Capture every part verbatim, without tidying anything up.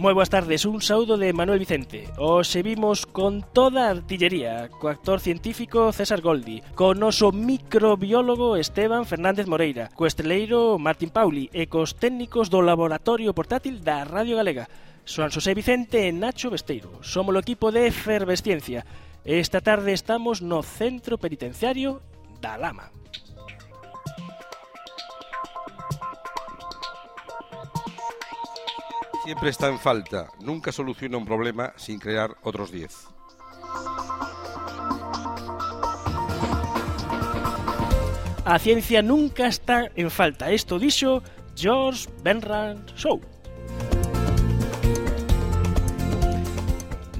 Moi boas tardes, un saúdo de Manuel Vicente. Hoxe vimos con toda a artillería, co actor científico César Goldi, co noso microbiólogo Esteban Fernández Moreira, co estreleiro Martín Pauli e cos técnicos do laboratorio portátil da Radio Galega, Xoan Xosé Vicente e Nacho Besteiro. Somos o equipo de Efervesciencia. Esta tarde estamos no Centro Penitenciario da Lama. Siempre está en falta, nunca soluciona un problema sin crear otros diez. A ciencia nunca está en falta, isto dixo George Bernard Shaw.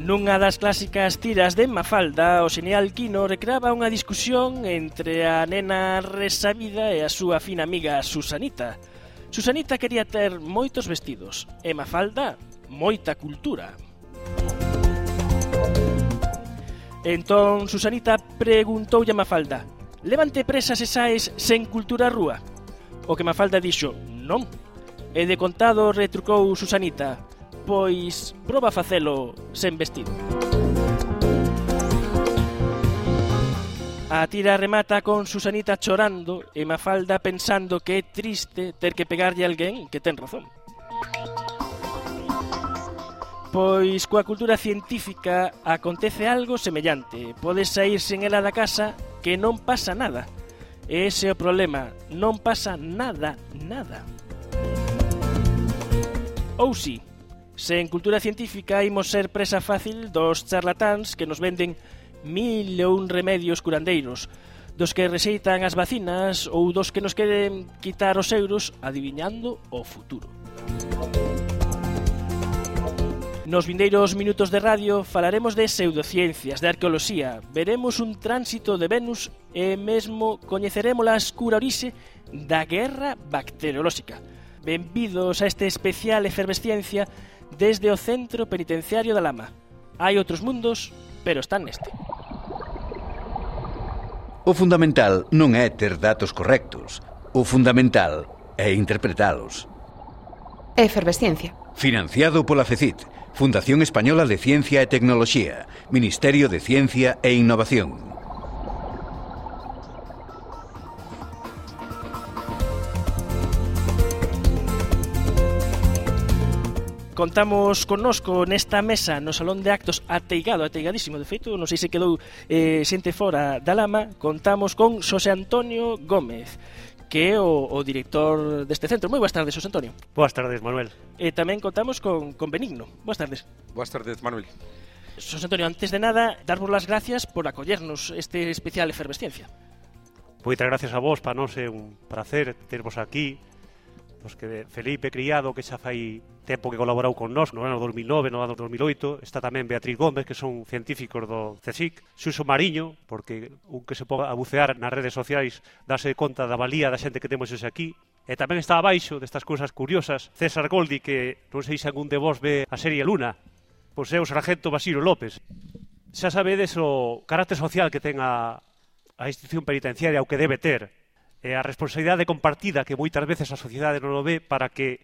Nunha das clásicas tiras de Mafalda, o xenial Quino recreaba unha discusión entre a nena resabida e a súa fina amiga Susanita. Susanita quería ter moitos vestidos e Mafalda moita cultura. Entón Susanita preguntoulle a Mafalda: levante presa se saes sen cultura á rúa? O que Mafalda dixo: non. E de contado retrucou Susanita: pois proba a facelo sen vestido. A tira remata con Susanita chorando e Mafalda pensando que é triste ter que pegarlle a alguén que ten razón. Pois coa cultura científica acontece algo semellante. Podes sair sen ela da casa que non pasa nada. Ese é o problema, non pasa nada, nada. Ou si, sen cultura científica imos ser presa fácil dos charlatáns que nos venden mil e un remedios curandeiros, dos que rexeitan as vacinas ou dos que nos queren quitar os euros adiviñando o futuro. Nos vindeiros minutos de radio falaremos de pseudociencias, de arqueoloxía, veremos un tránsito de Venus e mesmo coñeceremos a escura orixe da guerra bacteriolóxica. Benvidos a este especial Efervesciencia desde o Centro Penitenciario da Lama. Hai outros mundos, pero están neste. O fundamental non é ter datos correctos. O fundamental é interpretalos. Efervesciencia. Financiado pola FECIT, Fundación Española de Ciencia e Tecnoloxía, Ministerio de Ciencia e Innovación. Contamos connosco nesta mesa no Salón de Actos ateigado, ateigadísimo, de feito, non sei se quedou eh, xente fora da Lama. Contamos con Xosé Antonio Gómez, que é o, o director deste centro. Moi boas tardes, Xosé Antonio. Boas tardes, Manuel. E tamén contamos con, con Benigno. Boas tardes. Boas tardes, Manuel. Xosé Antonio, antes de nada, darvos las gracias por acollernos este especial Efervesciencia. Moitas gracias a vos, para nós é un placer tervos aquí. Os que Felipe Criado, que xa fai tempo que colaborou con nós, no ano dos mil nove, no ano dos mil oito, está tamén Beatriz Gómez, que son científicos do CSIC, Xuxo Mariño, porque un que se ponga a bucear nas redes sociais dase conta da valía da xente que temos hoxe aquí, e tamén está abaixo destas cousas curiosas César Goldi, que non sei se algún de vos ve a serie Luna, pois é o sargento Basilo López. Xa sabedes o carácter social que ten a, a institución penitenciaria, o que debe ter, e a responsabilidade compartida que moitas veces a sociedade non o ve para que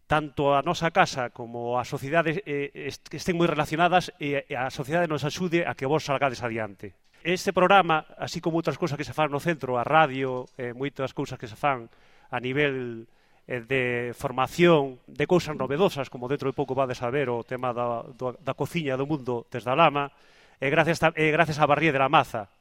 tanto a nosa casa como a sociedade eh, estén moi relacionadas e a sociedade nos axude a que vos salgades adiante. Este programa, así como outras cousas que se fan no centro, a radio, eh, moitas cousas que se fan a nivel eh, de formación, de cousas novedosas, como dentro de pouco vades a ver o tema da, da, da cociña do mundo desde a Lama, e gracias, eh, gracias a Barrié de la Maza,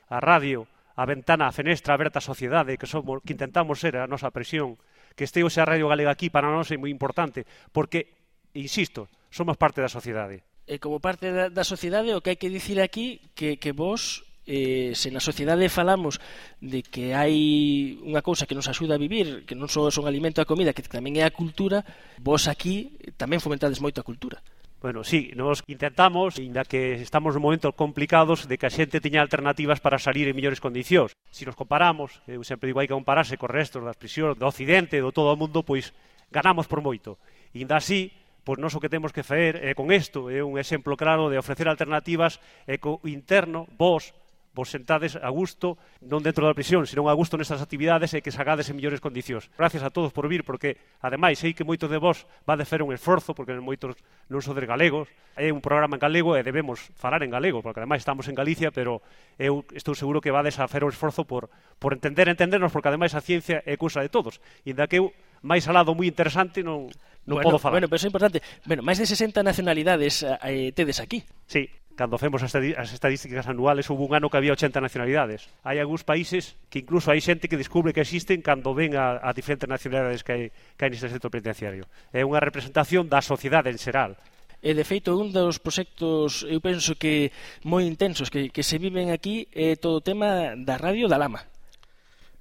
a radio, a ventana, a fenestra aberta á sociedade, que somos, que intentamos ser a nosa presión, que este hoxe a Radio Galega aquí para nós é moi importante, porque, insisto, somos parte da sociedade. E como parte da, da sociedade, o que hai que dicir aquí, que, que vos, eh, se na sociedade falamos de que hai unha cousa que nos axuda a vivir, que non só son alimento a comida, que tamén é a cultura, vos aquí tamén fomentades moito a cultura. Bueno, sí, nos intentamos, ainda que estamos en momentos complicados, de que a xente teña alternativas para salir en mellores condicións. Se nos comparamos, eu sempre digo, hai que compararse co resto das prisións do Occidente, do todo o mundo, pois ganamos por moito. E ainda así, pois nós o que temos que facer é con isto, é un exemplo claro de ofrecer alternativas e co interno, vos, vos sentades a gusto, non dentro da prisión, senón a gusto nestas actividades e que sagades en mellores condicións. Gracias a todos por vir, porque, ademais, sei que moitos de vos va de fer un esforzo, porque moitos non sodes galegos, é un programa en galego e debemos falar en galego, porque, ademais, estamos en Galicia, pero eu estou seguro que vades a fer o esforzo por, por entender, entendernos, porque, ademais, a ciencia é cousa de todos. E inda que eu, máis alado moi interesante, non, non bueno, podo falar. Bueno, pero é importante. Bueno, máis de sesenta nacionalidades eh, tedes aquí. Sí. Cando femos as estadísticas anuales, houve un ano que había ochenta nacionalidades. Hai algúns países que incluso hai xente que descubre que existen cando ven a, a diferentes nacionalidades que hai, que hai neste centro penitenciario. É unha representación da sociedade en xeral. E, de feito, un dos proxectos, eu penso que moi intensos que, que se viven aquí é todo o tema da radio da Lama.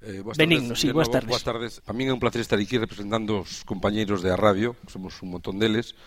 Eh, boas Benigno, tardes, sí, boas tardes. Boas tardes. A min é un placer estar aquí representando os compañeiros de a radio, somos un montón deles.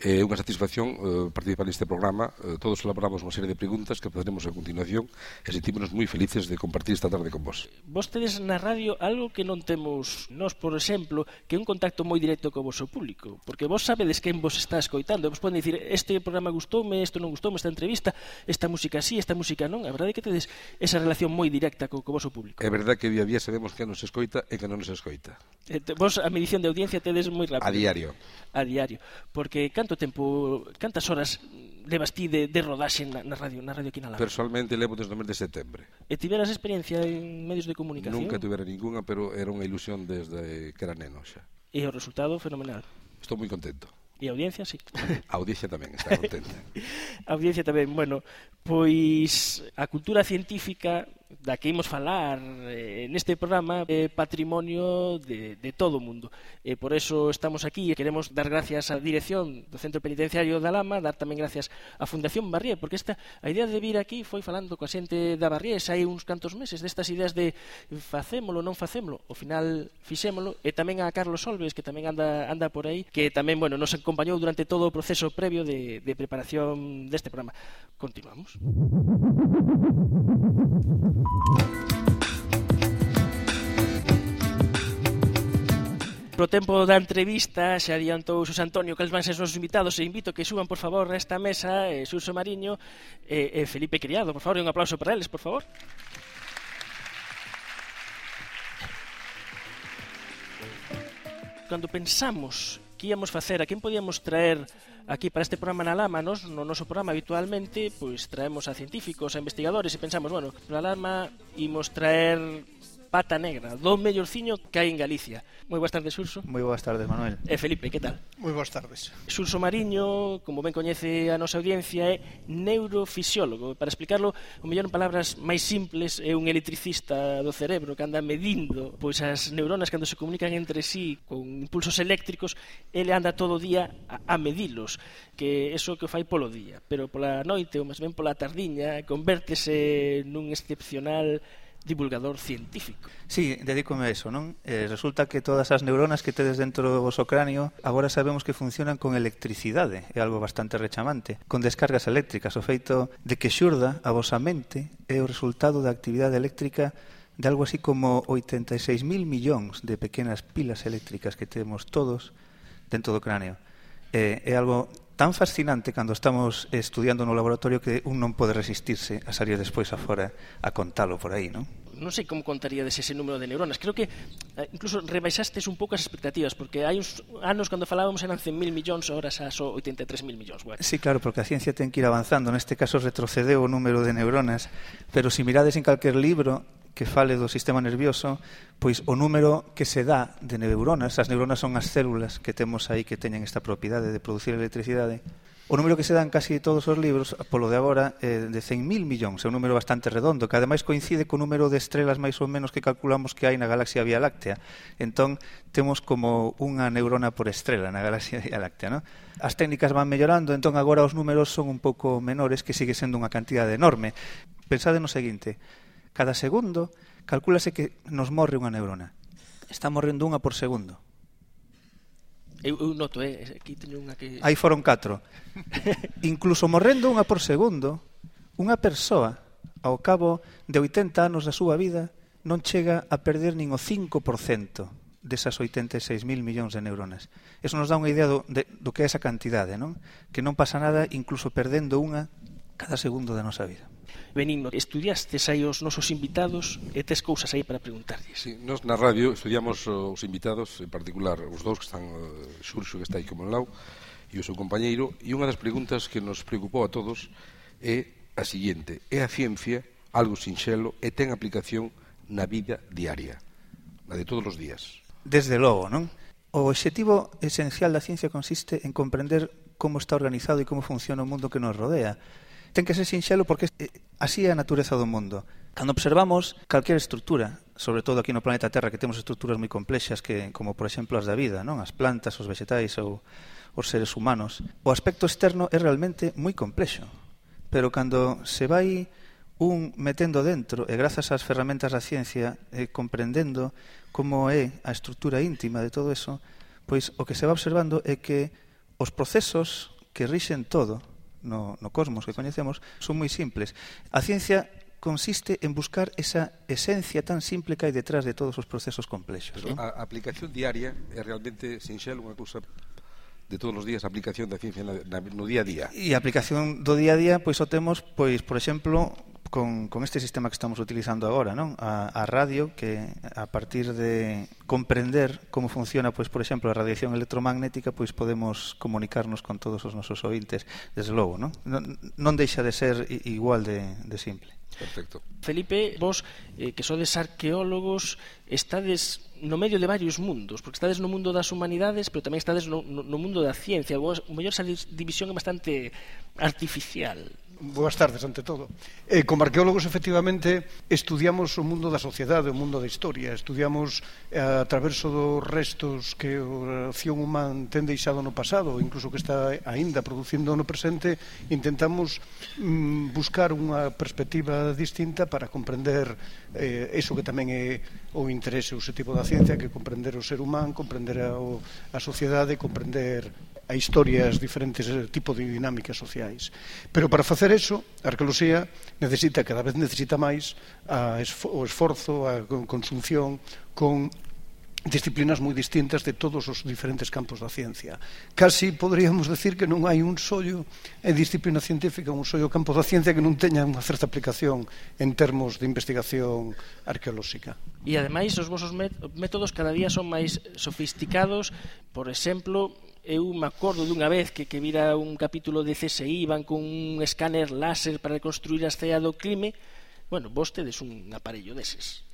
É unha satisfacción eh, participar neste programa. Eh, todos elaboramos unha serie de preguntas que poderemos a continuación e sentímonos moi felices de compartir esta tarde con vos. Vos tedes na radio algo que non temos nós, por exemplo, que é un contacto moi directo co vosso público, porque vos sabedes quen vos está escoitando, vos poden dicir, este programa gustoume, isto non gustoume, esta entrevista, esta música sí, esta música non. A verdade é que tedes esa relación moi directa co, co vosso público. É verdade que día a día sabemos quen nos escoita e quen non nos escoita. Eh, vos a medición de audiencia tedes moi rápido. A diario. A diario, porque canto tempo, cantas horas levas ti de, de rodaxe na, na radio, na radio aquí na Lama? Personalmente levo desde o mes de setembro. E tiveras experiencia en medios de comunicación? Nunca tivera ninguna, pero era unha ilusión desde que era neno xa. E o resultado fenomenal. Estou moi contento. E a audiencia, sí. A audiencia tamén está contenta. A audiencia tamén, bueno, pois a cultura científica da que imos falar eh, neste programa é patrimonio de, de todo o mundo. E por eso estamos aquí e queremos dar gracias á dirección do Centro Penitenciario da Lama, dar tamén gracias á Fundación Barrié, porque esta a idea de vir aquí foi falando coa xente da Barrié hai uns cantos meses, destas ideas de facémolo, non facémolo, ao final fixémolo, e tamén a Carlos Solves, que tamén anda, anda por aí, que tamén, bueno, nos acompañou durante todo o proceso previo de, de preparación deste programa. Continuamos. Pro tempo da entrevista xa adiantou Xosé Antonio cales van ser os nosos invitados e invito que suban por favor a esta mesa eh, Xurxo Mariño e eh, eh, Felipe Criado, por favor, e un aplauso para eles, por favor. Cando pensamos que íamos facer, a quen podíamos traer aquí para este programa na Lama, nos, no noso programa habitualmente pois traemos a científicos, a investigadores e pensamos, bueno, para a Lama imos traer Pata Negra, do mellorciño que hai en Galicia. Moi boas tardes, Xurxo. Moi boas tardes, Manuel. E Felipe, que tal? Moi boas tardes. Xurxo Mariño, como ben coñece a nosa audiencia, é neurofisiólogo. Para explicarlo, o mellor en palabras máis simples, é un electricista do cerebro que anda medindo pois as neuronas cando se comunican entre sí con impulsos eléctricos, ele anda todo o día a, a medilos, que eso que o fai polo día, pero pola noite ou máis ben pola tardiña convértese nun excepcional divulgador científico. Sí, dedícome a eso, non? Eh, resulta que todas as neuronas que tedes dentro do vosso cráneo agora sabemos que funcionan con electricidade, é algo bastante rechamante, con descargas eléctricas. O feito de que xurda a vosa mente é o resultado da actividade eléctrica de algo así como oitenta e seis mil millóns de pequenas pilas eléctricas que temos todos dentro do cráneo. Eh, é algo tan fascinante cando estamos estudiando no laboratorio que un non pode resistirse a salir despois afora a contalo por aí, non? Non sei como contaríades ese número de neuronas. Creo que eh, incluso rebaixastes un pouco as expectativas, porque hai uns anos cando falábamos eran cen mil millóns, ahora xa só oitenta e tres mil millóns. Bueno. Sí, claro, porque a ciencia ten que ir avanzando. Neste caso retrocedeu o número de neuronas, pero se mirades en calquer libro que fale do sistema nervioso, pois o número que se dá de neuronas, as neuronas son as células que temos aí que teñen esta propiedade de producir electricidade, o número que se dá en casi todos os libros, polo de agora, é de cen mil millóns, é un número bastante redondo, que ademais coincide co número de estrelas máis ou menos que calculamos que hai na galaxia Vía Láctea. Entón, temos como unha neurona por estrela na galaxia Vía Láctea, non? As técnicas van mellorando, entón agora os números son un pouco menores, que sigue sendo unha cantidade enorme. Pensade no seguinte: cada segundo calcúlase que nos morre unha neurona. Está morrendo unha por segundo. Eu, eu noto, eh, aquí teño unha que... Aí foron catro. Incluso morrendo unha por segundo, unha persoa, ao cabo de oitenta anos da súa vida, non chega a perder nin o cinco por cento desas oitenta e seis mil millóns de neuronas. Eso nos dá unha idea do, de, do que é esa cantidade, non? Que non pasa nada incluso perdendo unha cada segundo da nosa vida. Benigno, estudiastes aí os nosos invitados e tes cousas aí para preguntarlles. Sí, nos na radio estudiamos os invitados, en particular os dous que están, Xurxo que está aí como en lau e o seu compañeiro, e unha das preguntas que nos preocupou a todos é a seguinte: é a ciencia algo sinxelo e ten aplicación na vida diaria, na de todos os días? Desde logo, non? O obxectivo esencial da ciencia consiste en comprender como está organizado e como funciona o mundo que nos rodea. Ten que ser sinxelo porque así é a natureza do mundo. Cando observamos calquera estrutura, sobre todo aquí no planeta Terra, que temos estruturas moi complexas, que, como por exemplo as da vida, non? As plantas, os vegetais ou os seres humanos, o aspecto externo é realmente moi complexo. Pero cando se vai un metendo dentro, e grazas ás ferramentas da ciencia, eh, comprendendo como é a estrutura íntima de todo eso, pois o que se va observando é que os procesos que rixen todo no, no cosmos que coñecemos son moi simples. A ciencia consiste en buscar esa esencia tan simple que hai detrás de todos os procesos complexos. Pero ¿no? A aplicación diaria é realmente sinxelo, unha cousa de todos os días, a aplicación da ciencia na, na, no día a día. E a aplicación do día a día, pois o temos, pois, por exemplo, con, con este sistema que estamos utilizando agora, non? A, a radio, que a partir de comprender como funciona, pois, por exemplo, a radiación electromagnética, pois podemos comunicarnos con todos os nosos ointes, desde logo, non? Non, non deixa de ser igual de, de simple. Perfecto. Felipe, vos, eh, que sodes arqueólogos, estades no medio de varios mundos, porque estades no mundo das humanidades, pero tamén estades no, no, no mundo da ciencia. Vos, o mellor esa división é bastante artificial. Boas tardes, ante todo. Eh, como arqueólogos, efectivamente, estudiamos o mundo da sociedade, o mundo da historia. Estudiamos eh, a traverso dos restos que a acción humana ten deixado no pasado, incluso que está aínda producindo no presente. Intentamos mm, buscar unha perspectiva distinta para comprender eh, eso que tamén é o interese, o objetivo da ciencia, que é comprender o ser humano, comprender a, o, a sociedade, comprender a historia, as diferentes tipos de dinámicas sociais. Pero para facer eso, a arqueoloxía necesita, cada vez necesita máis a esfo, o esforzo, a consunción con disciplinas moi distintas de todos os diferentes campos da ciencia. Casi poderíamos decir que non hai un sollo en disciplina científica, un sollo campo da ciencia que non teña unha certa aplicación en termos de investigación arqueolóxica. E ademais os vosos métodos cada día son máis sofisticados. Por exemplo, eu me acordo dunha vez que, que vira un capítulo de C S I, van con un escáner láser para reconstruir a escena do crime. Bueno, vos tedes un aparello deses.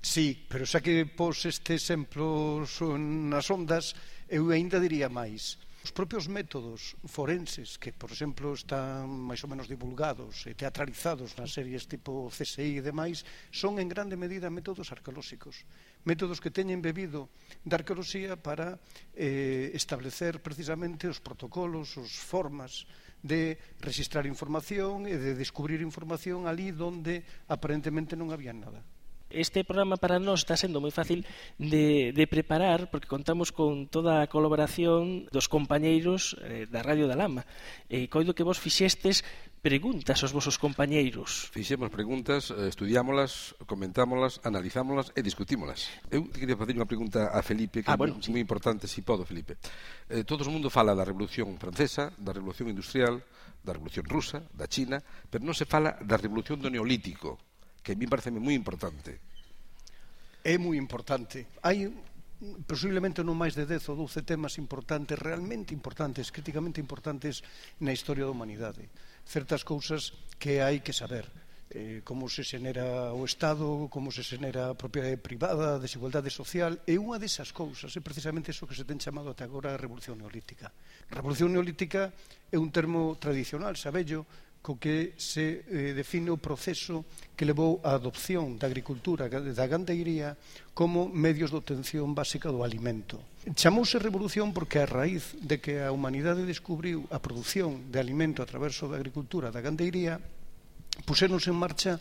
Sí, pero xa que pos este exemplo nas ondas, eu ainda diría máis. Os propios métodos forenses, que, por exemplo, están máis ou menos divulgados e teatralizados nas series tipo C S I e demais, son en grande medida métodos arqueolóxicos. Métodos que teñen bebido da arqueoloxía para eh, establecer precisamente os protocolos, as formas de registrar información e de descubrir información ali onde aparentemente non había nada. Este programa para nós está sendo moi fácil de, de preparar, porque contamos con toda a colaboración dos compañeiros eh, da Radio da Lama. E coido que vos fixestes preguntas aos vosos compañeiros. Fixemos preguntas, estudiámolas, comentámolas, analizámolas e discutímolas. Eu queria facer unha pregunta a Felipe, que ah, bueno, é sí. moi importante, se si podo, Felipe. Eh, todo o mundo fala da Revolución Francesa, da Revolución Industrial, da Revolución Rusa, da China, pero non se fala da Revolución do Neolítico, que a mí parece moi importante. É moi importante. Hai posiblemente non máis de dez ou doce temas importantes, realmente importantes, críticamente importantes na historia da humanidade. Certas cousas que hai que saber. Eh, como se xenera o Estado, como se xenera a propiedade privada, a desigualdade social, e unha desas cousas é precisamente iso que se ten chamado até agora a Revolución Neolítica. A Revolución Neolítica é un termo tradicional, sabello, co que se eh, define o proceso que levou á adopción da agricultura, da gandeiría, como medios de obtención básica do alimento. Chamouse revolución porque a raíz de que a humanidade descubriu a produción de alimento a través da agricultura, da gandeiría, puséronse en marcha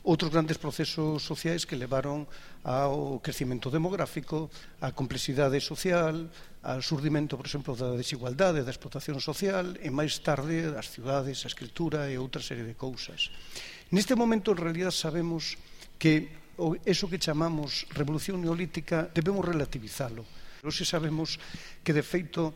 outros grandes procesos sociais que levaron ao crecimento demográfico, á complexidade social, ao surdimento, por exemplo, da desigualdade, da explotación social, e máis tarde das cidades, a escritura e outra serie de cousas. Neste momento, en realidad, sabemos que eso que chamamos revolución neolítica debemos relativizalo. Hoxe sabemos que, de feito,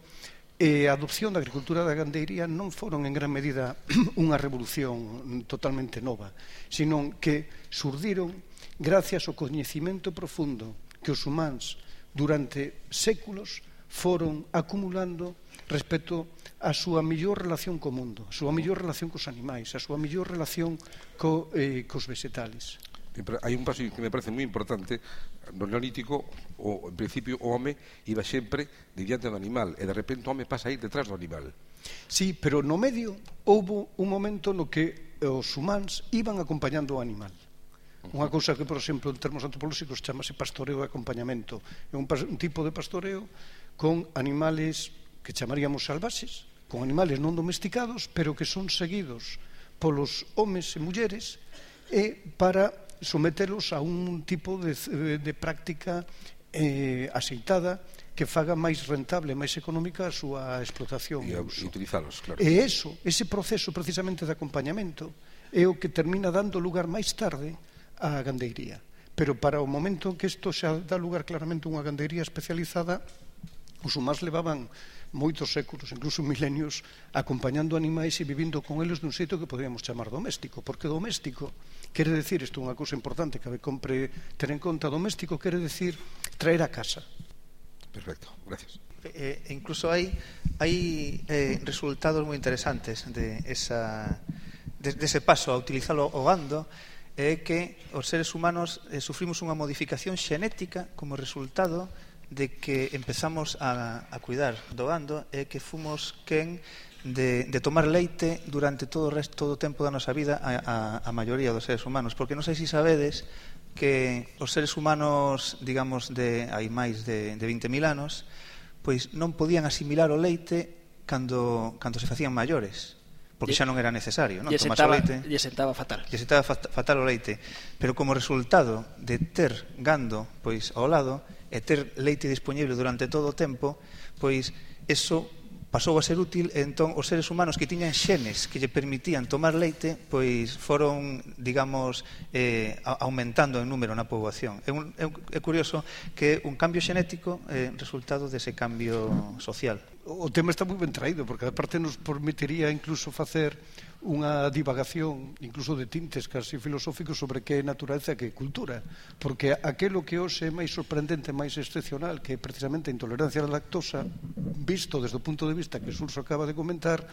a adopción da agricultura da gandeiría non foron en gran medida unha revolución totalmente nova, sino que surdiron gracias ao coñecimento profundo que os humanos durante séculos foron acumulando respecto a súa mellor relación co mundo, a súa mellor relación cos animais, a súa mellor relación co, eh, cos vegetales. Hai un paso que me parece moi importante. No neolítico, o, en principio, o home iba sempre diante do animal, e de repente o home pasa a ir detrás do animal. Sí, pero no medio houve un momento no que os humanos iban acompañando o animal. Unha cousa que, por exemplo, en termos antropolóxicos chamase pastoreo e acompañamento. É un, un tipo de pastoreo con animales que chamaríamos salvaxes, con animales non domesticados, pero que son seguidos polos homes e mulleres, e para sometelos a un tipo de, de práctica eh, aseitada que faga máis rentable, máis económica a súa explotación e, e uso. E utilizalos, claro. E eso, ese proceso precisamente de acompañamento é o que termina dando lugar máis tarde á gandeiría. Pero para o momento en que isto xa dá lugar claramente a unha gandeiría especializada, os humanos levaban moitos séculos, incluso milenios, acompañando animais e vivindo con eles dun xeito que poderíamos chamar doméstico, porque doméstico quere decir, isto é unha cousa importante que compre ter en conta, doméstico quere decir traer a casa. Perfecto, gracias. E, e incluso hai, hai eh, resultados moi interesantes de, esa, de, de ese paso a utilizalo o gando, é que os seres humanos eh, sufrimos unha modificación xenética como resultado de que empezamos a, a cuidar do gando e que fomos quen de, de tomar leite durante todo o resto, todo o tempo da nosa vida a, a, a maioría dos seres humanos, porque non sei se sabedes que os seres humanos, digamos, de hai máis de, de vinte mil anos, pois non podían asimilar o leite cando, cando se facían maiores, porque xa non era necesario, non? Tomarse o leite. Lle sentaba fatal. Lle sentaba fatal o leite, pero como resultado de ter gando pois ao lado e ter leite disponible durante todo o tempo, pois eso pasou a ser útil, e entón os seres humanos que tiñan xenes que lle permitían tomar leite, pois foron, digamos, eh, aumentando en número na poboación. É, un, é curioso que un cambio xenético é resultado dese cambio social. O tema está moi ben traído, porque aparte nos permitiría incluso facer unha divagación, incluso de tintes casi filosóficos, sobre que é naturaleza e que é cultura, porque aquelo que hoxe é máis sorprendente, máis excepcional, que é precisamente a intolerancia á lactosa, visto desde o punto de vista que Surso acaba de comentar,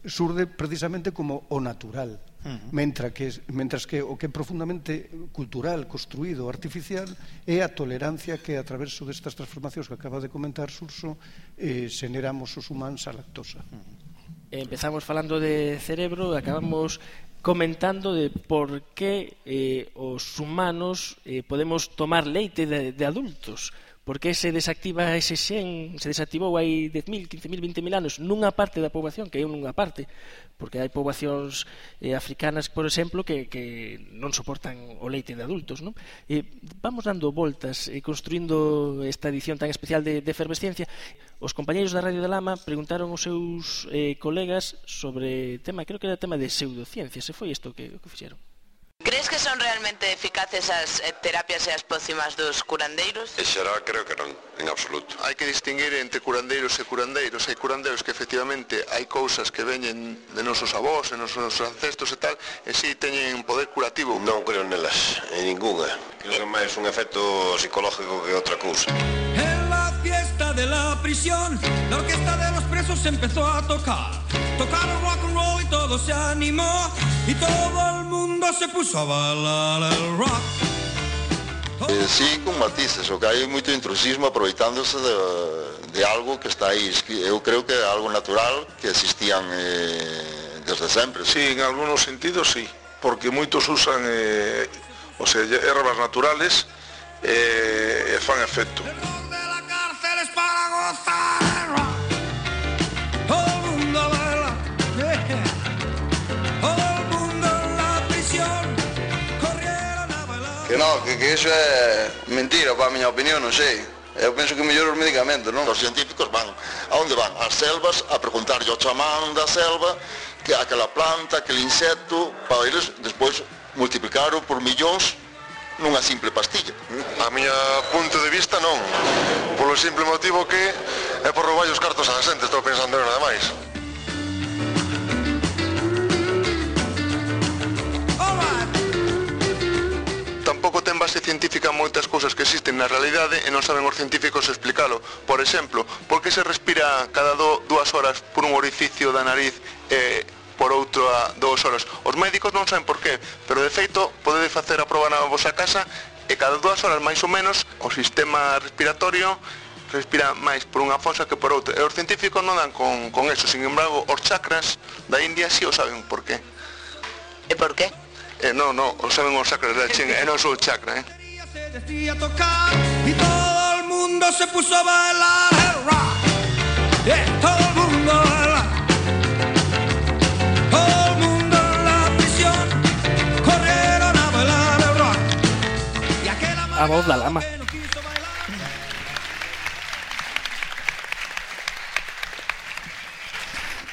surde precisamente como o natural, uh-huh. mentras, que, mentras que o que é profundamente cultural, construído, artificial, é a tolerancia que a través destas transformacións que acaba de comentar Surso eh, generamos os humanos á lactosa. Uh-huh. Empezamos falando de cerebro, acabamos comentando de por que eh, os humanos eh, podemos tomar leite de, de adultos. Por que se desactiva ese xen, se desactivou hai dez mil, quince mil, vinte mil anos nunha parte da poboación, que é nunha parte, porque hai poboacións eh, africanas, por exemplo, que, que non soportan o leite de adultos, non? E vamos dando voltas e eh, construindo esta edición tan especial de, de Efervesciencia. Os compañeiros da Radio da Lama preguntaron aos seus eh, colegas sobre tema, creo que era tema de pseudociencia, se foi isto que, que fixeron. Crees que son realmente eficaces as eh, terapias e as pócimas dos curandeiros? En xeral creo que non, en absoluto. Hai que distinguir entre curandeiros e curandeiros. Hai curandeiros que efectivamente hai cousas que veñen de nosos avós, de nosos ancestros e tal, e si teñen poder curativo. Non creo nelas, en ninguna. Creo que é máis un efecto psicológico que outra cousa. En la fiesta de la prisión, la orquesta de los presos empezó a tocar. Tocaron rock and roll y todo se animó, y todo el mundo se puso a bailar el rock. Eh, sí, con matices, o que hai moito intrusismo aproveitándose de, de algo que está aí. Eu creo que é algo natural, que existían eh, desde sempre. Sí, en algunos sentidos sí, porque moitos usan eh, o sea, ervas naturales e eh, fan efecto. El rock de la cárcel es para gozar el rock. Todo el mundo baila, yeah. Todo el mundo en la prisión corriendo. Que non, que, que iso é mentira, para a miña opinión, non sei. Eu penso que mellor os medicamentos, non? Os científicos van, a onde van? Ás selvas, a preguntarlle ao chamán da selva que aquela planta, aquele insecto, para eles despois multiplicarlo por millóns nunha simple pastilla. A miña punto de vista non, polo simple motivo que é por roubar os cartos á xente, estou pensando en nada máis. Tampouco ten base científica moitas cousas que existen na realidade e non saben os científicos explicalo. Por exemplo, por que se respira cada do, dúas horas por un orificio da nariz e por outro a dúas horas? Os médicos non saben por qué, pero de feito podedes facer a proba na vosa casa e cada dúas horas máis ou menos o sistema respiratorio respira máis por unha fosa que por outra. E os científicos non dan con, con eso, sin embargo, os chakras da India si o saben por qué. E por qué? Eh, no, no, o saben os chakras da China, e non só o chakra, eh. Se decía tocar y todo el mundo se puso a bailar el rock. Yeah, todo el mundo a bailar. Todo el mundo en la prisión corrieron a bailar el rock. Y aquel A voz da lama.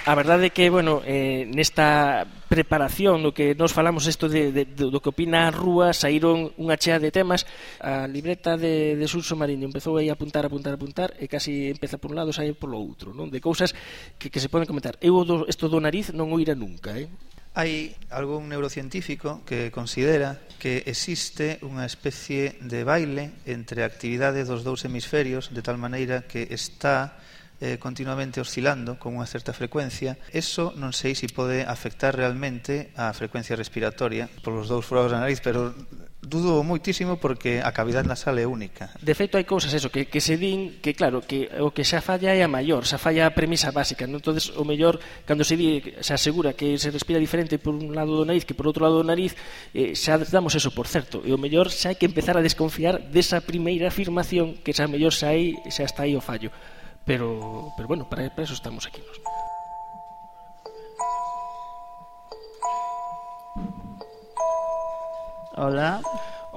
A verdade é que, bueno, eh, nesta preparación no que nos falamos isto de, de, do que opina a rúa, saíron unha chea de temas. A libreta de, de Xurxo Mariño empezou aí a apuntar, apuntar, apuntar e casi empeza por un lado e sai polo outro, non? De cousas que, que se poden comentar. Eu do, isto do nariz non o ira nunca, eh? Hai algún neurocientífico que considera que existe unha especie de baile entre a actividade dos dous hemisferios de tal maneira que está eh, continuamente oscilando con unha certa frecuencia. Eso non sei se pode afectar realmente a frecuencia respiratoria polos dous forados da nariz, pero dudo moitísimo porque a cavidade nasal é única. De feito, hai cousas eso que, que se din que, claro, que o que xa falla é a maior, xa falla a premisa básica, non? Entonces, o mellor, cando se di, se asegura que se respira diferente por un lado do nariz que por outro lado do nariz, eh, xa damos eso por certo, e o mellor xa hai que empezar a desconfiar desa primeira afirmación que xa mellor xa, hai, xa está aí o fallo. Pero, pero bueno, para, para eso estamos aquí nos. Hola.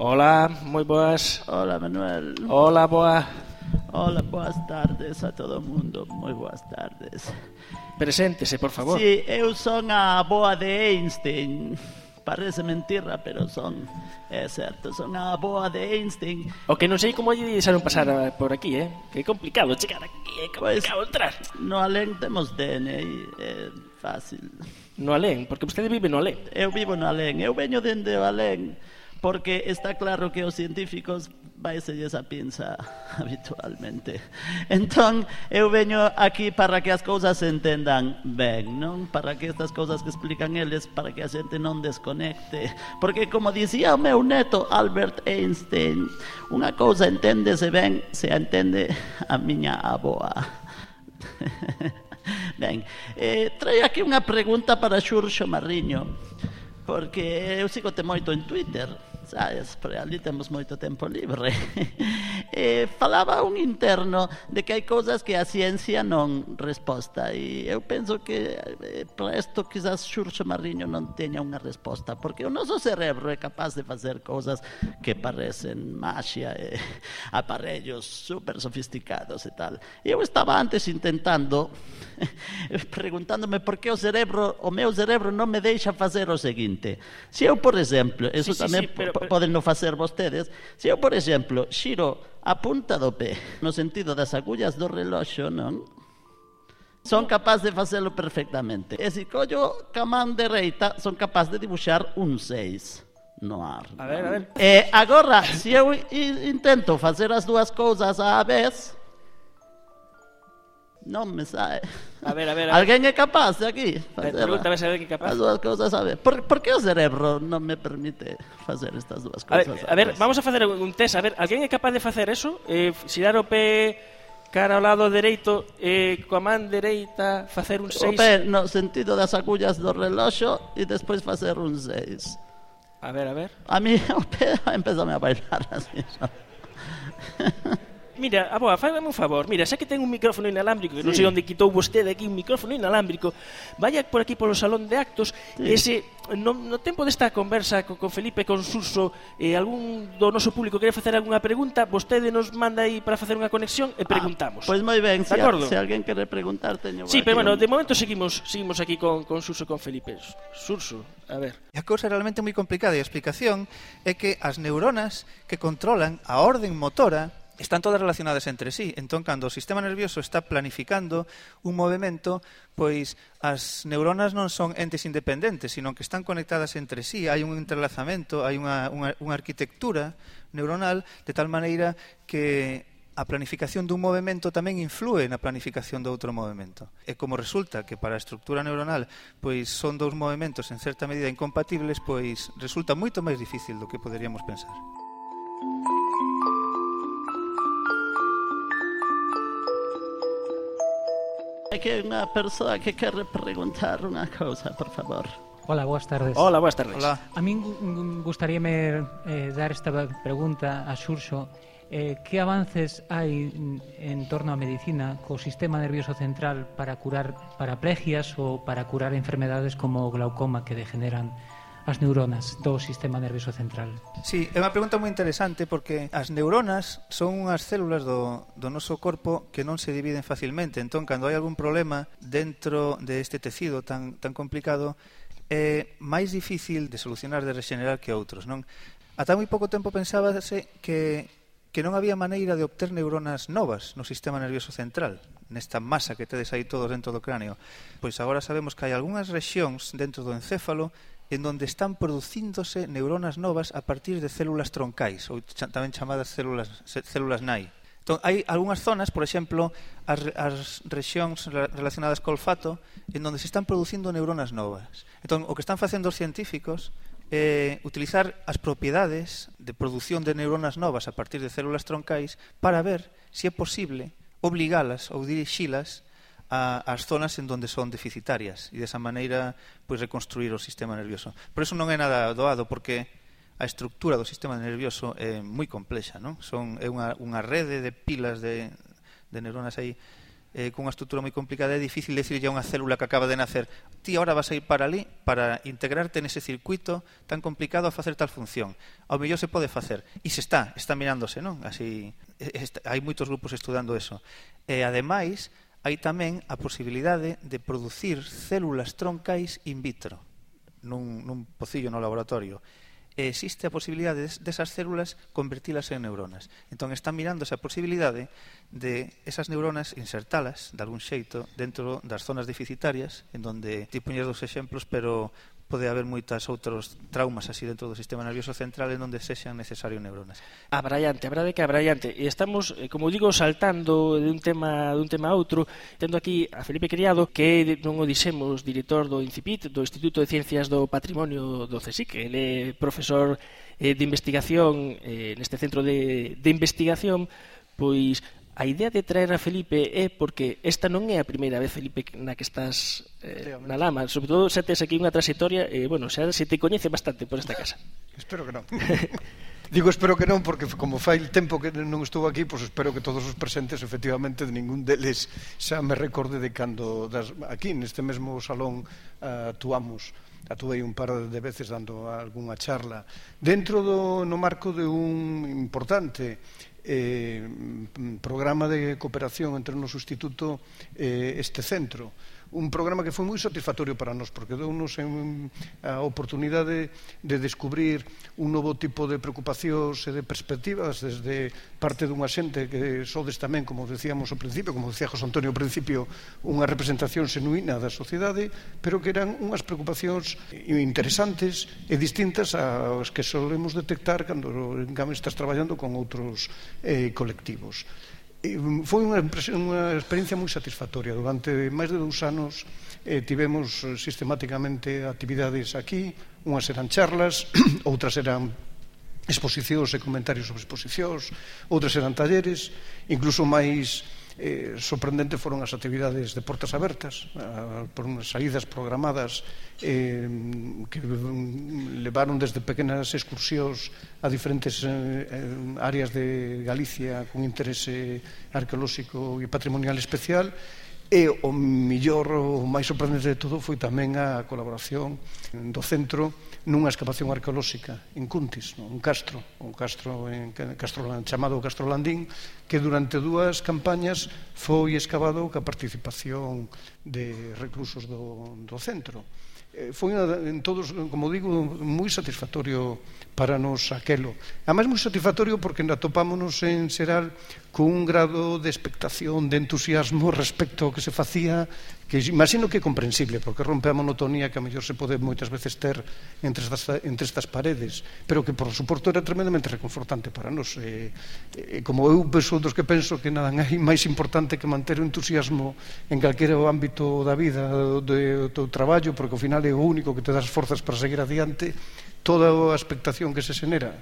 Hola, moi boas. Hola, Manuel. Hola, boa. Hola, boas tardes a todo o mundo. Moi boas tardes. Preséntese, por favor. Sí, eu son a boa de Einstein. Parece mentira, pero son, é certo, son a boa de Einstein. O que non sei como lle deixaron pasar por aquí, eh? Que é complicado chegar aquí, é complicado pues, entrar. No Alén temos D N I, é fácil. No Alén? Porque vostede vive no Alén. Eu vivo no Alén, eu veño dende o Alén, porque está claro que os científicos vaiselles a pinza habitualmente. Entón, eu veño aquí para que as cousas se entendan ben, non? Para que estas cousas que explican eles, para que a xente non desconecte. Porque, como dicía o meu neto Albert Einstein, unha cousa enténdese ben se a entende a miña aboa. Ben, eh, traio aquí unha pregunta para Xurxo Mariño, porque eu sigo-te moito en Twitter, sabes, pero ali temos moito tempo libre. E falaba un interno de que hai cousas que a ciencia non resposta, e eu penso que eh, para isto quizás Xurxo Mariño non teña unha resposta, porque o noso cerebro é capaz de facer cousas que parecen maxia e aparellos super sofisticados e tal. E eu estaba antes intentando preguntándome por que o cerebro, o meu cerebro non me deixa facer o seguinte. Se eu, por exemplo, eso sí, tamén sí, sí, pero, pero... poden non facer vostedes, se eu, por exemplo, xiro a punta do pé no sentido das agullas do reloxo, non? Son capaz de facelo perfectamente. E se collo ca man dereita, son capaz de dibuixar un seis no ar. A ver, a ver. E agora, se eu intento facer as dúas cousas á vez, non me sae. A ver, a ver, a ver. Alguén é capaz de aquí facer se alguén é capaz. As dúas cousas a ver. Por, por que o cerebro non me permite facer estas dúas cousas? A ver, a ver, vamos a facer un test. A ver, alguén é capaz de facer eso? Eh, xirar o pé cara ao lado dereito e eh, coa man dereita facer un seis? O pé no sentido das agullas do reloxo e despois facer un seis. A ver, a ver. A mí o pé empezame a bailar así. mira, aboa, fágame un favor. Mira, xa que ten un micrófono inalámbrico, que non sei onde quitou vostede aquí un micrófono inalámbrico, vaya por aquí polo salón de actos, e se no, no tempo desta conversa con, con Felipe, con Suso, eh, algún do noso público quere facer algunha pregunta, vostede nos manda aí para facer unha conexión e preguntamos. Ah, pois moi ben, se, se alguén quere preguntar, teño... Sí, pero bueno, de momento seguimos seguimos aquí con, con Suso e con Felipe. Suso, a ver. A cousa é realmente moi complicada e a explicación é que as neuronas que controlan a orden motora están todas relacionadas entre sí. Entón, cando o sistema nervioso está planificando un movimento, pois as neuronas non son entes independentes, sino que están conectadas entre sí. Hai un entrelazamento, hai unha, unha, unha arquitectura neuronal de tal maneira que a planificación dun movimento tamén influe na planificación de outro movimento. E como resulta que para a estructura neuronal pois son dous movimentos en certa medida incompatibles, pois resulta moito máis difícil do que poderíamos pensar. Hai que unha persoa que quere preguntar unha cousa, por favor. Hola, boas tardes. Hola, boas tardes. Hola. A min gustaríame eh, dar esta pregunta a Xurxo. Eh, que avances hai en torno á medicina co sistema nervioso central para curar paraplegias ou para curar enfermedades como o glaucoma que degeneran as neuronas do sistema nervioso central? Sí, é unha pregunta moi interesante porque as neuronas son unhas células do, do noso corpo que non se dividen facilmente. Entón, cando hai algún problema dentro deste tecido tan, tan complicado, é máis difícil de solucionar, de rexenerar que outros, non? Ata moi pouco tempo pensábase que que non había maneira de obter neuronas novas no sistema nervioso central, nesta masa que tedes aí todos dentro do cráneo. Pois agora sabemos que hai algunhas rexións dentro do encéfalo en donde están producíndose neuronas novas a partir de células troncais, ou tamén chamadas células, células nai. Entón, hai algunhas zonas, por exemplo, as, as rexións relacionadas co olfato, en donde se están producindo neuronas novas. Entón, o que están facendo os científicos é utilizar as propiedades de produción de neuronas novas a partir de células troncais para ver se é posible obligalas ou dirixilas a, as zonas en donde son deficitarias e desa maneira pois, reconstruir o sistema nervioso. Por eso non é nada doado, porque a estructura do sistema nervioso é moi complexa, non? Son, é unha, unha rede de pilas de, de neuronas aí eh, con unha estrutura moi complicada. É difícil decirlle a unha célula que acaba de nacer: ti ahora vas a ir para ali para integrarte nese circuito tan complicado a facer tal función. Ao mellor se pode facer, e se está, está mirándose, non? Así, está, hai moitos grupos estudando eso. E ademais hai tamén a posibilidade de producir células troncais in vitro nun, nun pocillo no laboratorio. E existe a posibilidade desas células convertilas en neuronas. Entón están mirando esa posibilidade de esas neuronas insertalas de algún xeito dentro das zonas deficitarias, en donde ti puñes dos exemplos, pero pode haber moitas outros traumas así dentro do sistema nervioso central en onde sexan necesarios neuronas. Abraiante, a verdade que abraiante. E estamos, como digo, saltando de un tema de un tema a outro, tendo aquí a Felipe Criado, que non o dixemos, director do INCIPIT, do Instituto de Ciencias do Patrimonio do CSIC. Ele é profesor eh, de investigación eh, neste centro de, de investigación. Pois a idea de traer a Felipe é porque esta non é a primeira vez, Felipe, na que estás eh, na lama. Sobre todo, xa tes aquí unha trayectoria, e, eh, bueno, xa se te coñece bastante por esta casa. Espero que non. Digo espero que non, porque como fai tempo que non estou aquí, pois espero que todos os presentes, efectivamente, de ningún deles xa me recorde de cando das, aquí, neste mesmo salón, uh, actuamos. Atuei un par de veces dando algunha charla dentro do, no marco de un importante eh, programa de cooperación entre o noso instituto e eh, este centro. Un programa que foi moi satisfactorio para nós, porque deu-nos a oportunidade de descubrir un novo tipo de preocupacións e de perspectivas desde parte dunha xente que sodes tamén, como decíamos ao principio, como decía José Antonio ao principio, unha representación xenuína da sociedade, pero que eran unhas preocupacións interesantes e distintas ás que solemos detectar cando estás traballando con outros eh, colectivos. Foi unha, unha experiencia moi satisfactoria. Durante máis de dous anos eh, tivemos sistemáticamente actividades aquí. Unhas eran charlas, outras eran exposicións e comentarios sobre exposicións, outras eran talleres. Incluso máis eh, sorprendente foron as actividades de portas abertas, eh, por unhas saídas programadas eh, que levaron desde pequenas excursións a diferentes áreas de Galicia con interese arqueolóxico e patrimonial especial. E o millor, o máis sorprendente de todo foi tamén a colaboración do centro nunha excavación arqueolóxica en Cuntis, un castro, un castro en Castro, chamado Castro Landín, que durante dúas campañas foi excavado ca participación de reclusos do, do centro. Foi en todos, como digo, moi satisfactorio para nos aquelo. Ademais, moi satisfactorio porque atopámonos en Xeral con un grado de expectación, de entusiasmo respecto ao que se facía, que imagino que é comprensible, porque rompe a monotonía que a mellor se pode moitas veces ter entre estas, entre estas paredes, pero que, por suposto, era tremendamente reconfortante para nós. E, e, como eu penso dos que penso que nada hai máis importante que manter o entusiasmo en calquera ámbito da vida, do teu traballo, porque ao final é o único que te das forzas para seguir adiante. Toda a expectación que se xenera,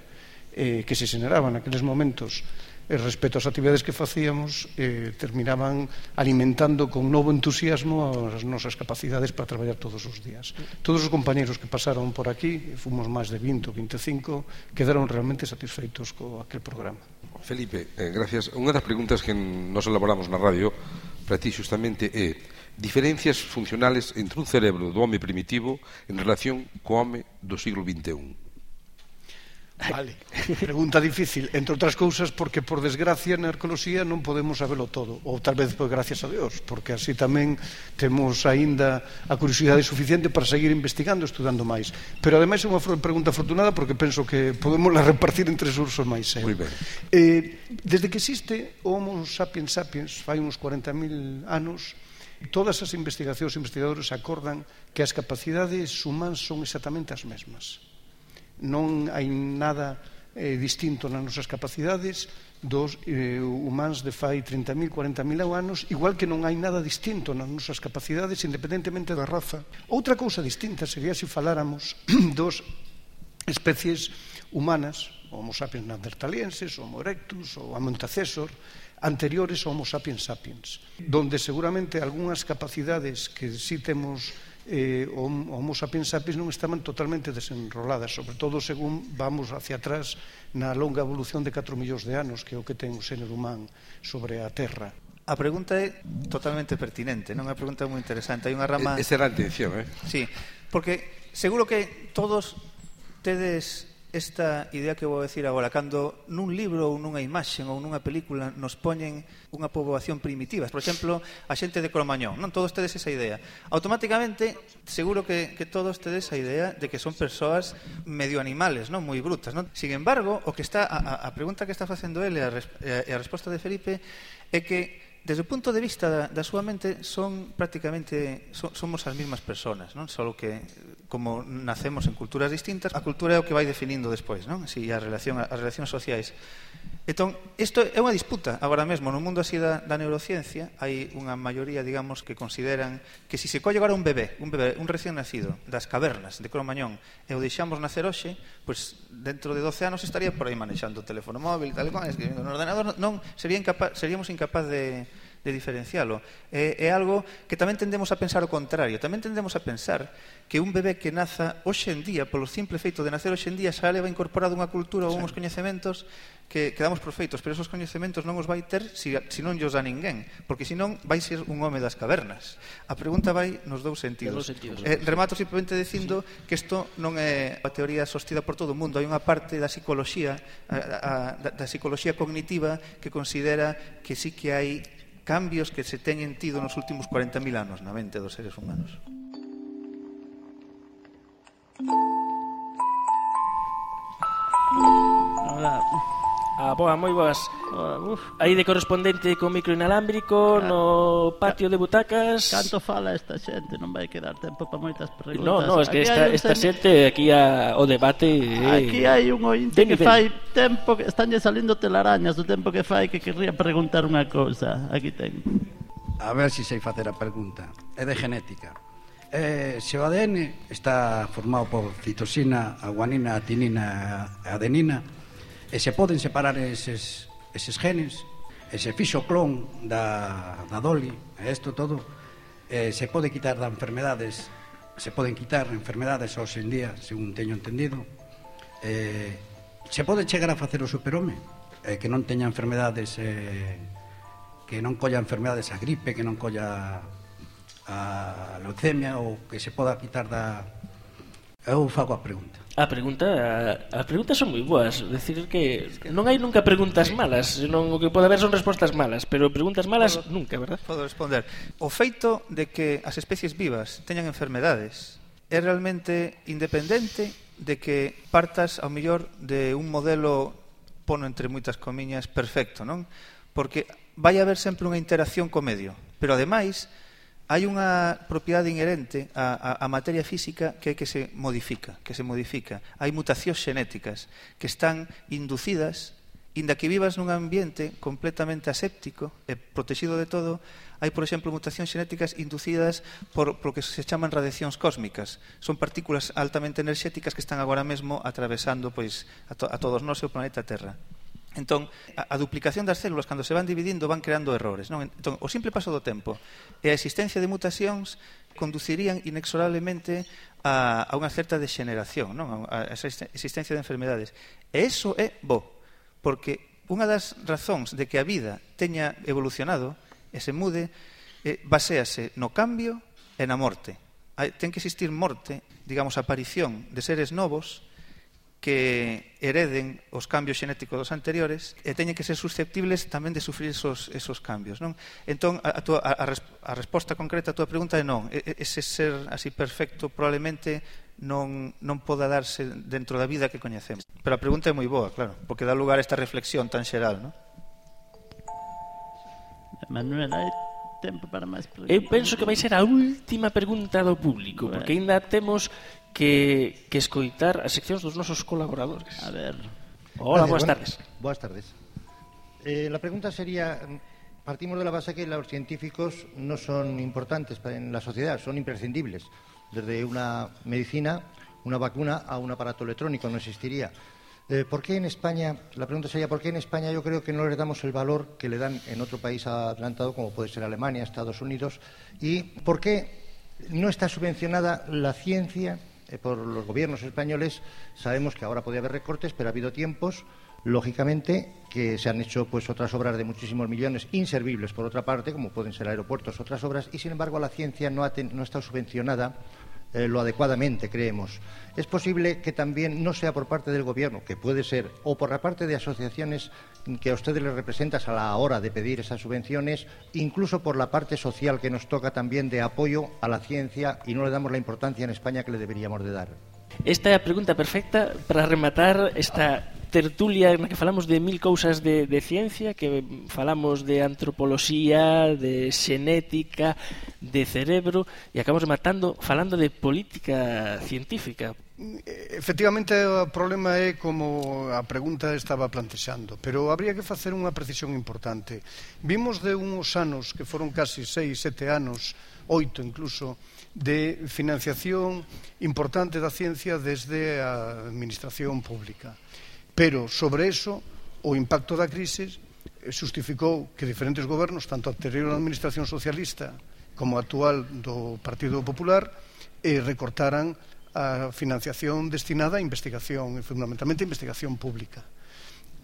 eh, que se xeneraba naqueles momentos eh, respecto ás actividades que facíamos, eh, terminaban alimentando con novo entusiasmo as nosas capacidades para traballar todos os días. Todos os compañeros que pasaron por aquí, fomos máis de vinte ou veinticinco, quedaron realmente satisfeitos co aquel programa. Felipe, eh, gracias. Unha das preguntas que nos elaboramos na radio para ti xustamente é diferencias funcionales entre un cerebro do home primitivo en relación co home do siglo vinte e un. Vale, pregunta difícil, entre outras cousas porque por desgracia na arqueoloxía non podemos sabelo todo, ou tal vez pues, gracias a Dios, porque así tamén temos aínda a curiosidade suficiente para seguir investigando, estudando máis. Pero ademais é unha pregunta afortunada porque penso que podemos la repartir entre os ursos máis. Eh? Moi ben. Eh, desde que existe o Homo sapiens sapiens, fai uns cuarenta mil anos, todas as investigacións e investigadores acordan que as capacidades humanas son exactamente as mesmas. Non hai nada eh, distinto nas nosas capacidades dos eh, humanos de fai trinta mil, cuarenta mil anos, igual que non hai nada distinto nas nosas capacidades independentemente da raza. Outra cousa distinta sería se faláramos dos especies humanas, Homo sapiens neandertalienses, Homo erectus ou Homo antecessor, anteriores ao Homo sapiens sapiens, donde seguramente algunhas capacidades que si temos eh, o Homo sapiens sapiens non estaban totalmente desenroladas, sobre todo según vamos hacia atrás na longa evolución de catro millóns de anos que é o que ten o xénero humano sobre a Terra. A pregunta é totalmente pertinente, non é unha pregunta moi interesante. Hai unha rama... Esa era a intención, eh? Sí, porque seguro que todos tedes esta idea que vou decir agora, cando nun libro ou nunha imaxe ou nunha película nos poñen unha poboación primitiva, por exemplo, a xente de Cromañón, non todos tedes esa idea. Automáticamente, seguro que, que todos tedes a idea de que son persoas medio animales, non moi brutas, non? Sin embargo, o que está a, a pregunta que está facendo ele e a, e a resposta de Felipe é que desde o punto de vista da, da súa mente son prácticamente so, somos as mesmas persoas, non? Só que como nacemos en culturas distintas, a cultura é o que vai definindo despois, non? Si a relación as relacións sociais. Entón, isto é unha disputa agora mesmo no mundo así da, da neurociencia. Hai unha maioría, digamos, que consideran que se si se colle agora un bebé, un bebé, un recién nacido das cavernas de Cromañón e o deixamos nacer hoxe, pois dentro de doce anos estaría por aí manexando o teléfono móvil, tal e cual, escribindo no ordenador, non, sería incapaz, seríamos incapaz de de diferencialo. É, é algo que tamén tendemos a pensar o contrario. Tamén tendemos a pensar que un bebé que naza hoxe en día, polo simple feito de nacer hoxe en día, xa leva incorporado unha cultura ou uns coñecementos que, que damos por feitos, pero esos coñecementos non os vai ter se si, si non llos dá ninguén, porque senón vai ser un home das cavernas. A pregunta vai nos dous sentidos. sentidos. Eh, remato simplemente dicindo sí. que isto non é a teoría sostida por todo o mundo. Hai unha parte da psicología, a, a, da, da psicología cognitiva que considera que sí que hai cambios que se teñen tido nos últimos cuarenta mil anos na mente dos seres humanos. Hola. Ah, boa, moi boas. Aí de correspondente con micro inalámbrico no patio de butacas. Canto fala esta xente, non vai quedar tempo para moitas preguntas. No, no, es que esta, esta xente aquí a, o debate eh, aquí hai un ointe que fai tempo que estanlle salindo telarañas do tempo que fai que querría preguntar unha cousa. Aquí ten. A ver se sei facer a pregunta. É de genética. Eh, se o A D N está formado por citosina, guanina, tinina e adenina, e se poden separar eses, eses genes, e se fixo clon da, da Dolly, e isto todo, e se pode quitar das enfermedades se poden quitar enfermedades hoxe en día, según teño entendido. Eh, se pode chegar a facer o superhome, eh, que non teña enfermedades, eh, que non colla enfermedades a gripe, que non colla a leucemia, ou que se poda quitar da... Eu fago a pregunta. A pregunta, as preguntas son moi boas, decir que non hai nunca preguntas malas, senón o que pode haber son respostas malas, pero preguntas malas podo, nunca, verdad? Podo responder. O feito de que as especies vivas teñan enfermedades é realmente independente de que partas ao mellor de un modelo, pono entre moitas comiñas, perfecto, non? Porque vai haber sempre unha interacción co medio, pero ademais hai unha propiedade inherente á, á materia física que é que se modifica, que se modifica. Hai mutacións xenéticas que están inducidas, inda que vivas nun ambiente completamente aséptico e protegido de todo. Hai, por exemplo, mutacións xenéticas inducidas por, por lo que se chaman radiacións cósmicas. Son partículas altamente enerxéticas que están agora mesmo atravesando pois, a, to, a todos nós e o planeta Terra. Entón, a, a duplicación das células, cando se van dividindo, van creando errores, non? Entón, o simple paso do tempo e a existencia de mutacións conducirían inexorablemente a, a unha certa degeneración, non? A, a esa existencia de enfermedades. E iso é bo, porque unha das razóns de que a vida teña evolucionado e se mude eh, baséase no cambio e na morte. Hai, ten que existir morte, digamos, aparición de seres novos que hereden os cambios xenéticos dos anteriores e teñen que ser susceptibles tamén de sufrir esos, esos cambios, non? Entón, a, a, tua, a, a resposta concreta a tua pregunta é non. Ese ser así perfecto probablemente non, non poda darse dentro da vida que coñecemos. Pero a pregunta é moi boa, claro, porque dá lugar a esta reflexión tan xeral, non? Manuel, hai tempo para máis preguntas? Eu penso que vai ser a última pregunta do público, bueno, porque ainda temos que, que escoitar as seccións dos nosos colaboradores. A ver. Hola, Gracias, buenas bueno, tardes. Buenas tardes. Eh, la pregunta sería, partimos de la base que los científicos no son importantes en la sociedad, son imprescindibles. Desde una medicina, una vacuna a un aparato electrónico no existiría. Eh, ¿Por qué en España, la pregunta sería, ¿por qué en España yo creo que no le damos el valor que le dan en otro país adelantado, como puede ser Alemania, Estados Unidos? ¿Y por qué no está subvencionada la ciencia eh, por los gobiernos españoles? Sabemos que ahora podría haber recortes, pero ha habido tiempos, lógicamente, que se han hecho pues otras obras de muchísimos millones, inservibles por otra parte, como pueden ser aeropuertos, otras obras, y sin embargo la ciencia no ha, ten, no ha estado subvencionada Eh, lo adecuadamente, creemos. Es posible que también no sea por parte del Gobierno, que puede ser, o por la parte de asociaciones que a ustedes les representan a la hora de pedir esas subvenciones, incluso por la parte social que nos toca también de apoyo a la ciencia y no le damos la importancia en España que le deberíamos de dar. Esta é a pregunta perfecta para rematar esta tertulia na que falamos de mil cousas de, de ciencia, que falamos de antropoloxía, de xenética, de cerebro, e acabamos matando falando de política científica. Efectivamente, o problema é como a pregunta estaba plantexando, pero habría que facer unha precisión importante. Vimos de uns anos, que foron casi seis, sete anos, oito incluso, de financiación importante da ciencia desde a administración pública. Pero sobre eso, o impacto da crise justificou que diferentes gobernos, tanto a anterior administración socialista como a actual do Partido Popular, eh, recortaran a financiación destinada a investigación, fundamentalmente a investigación pública.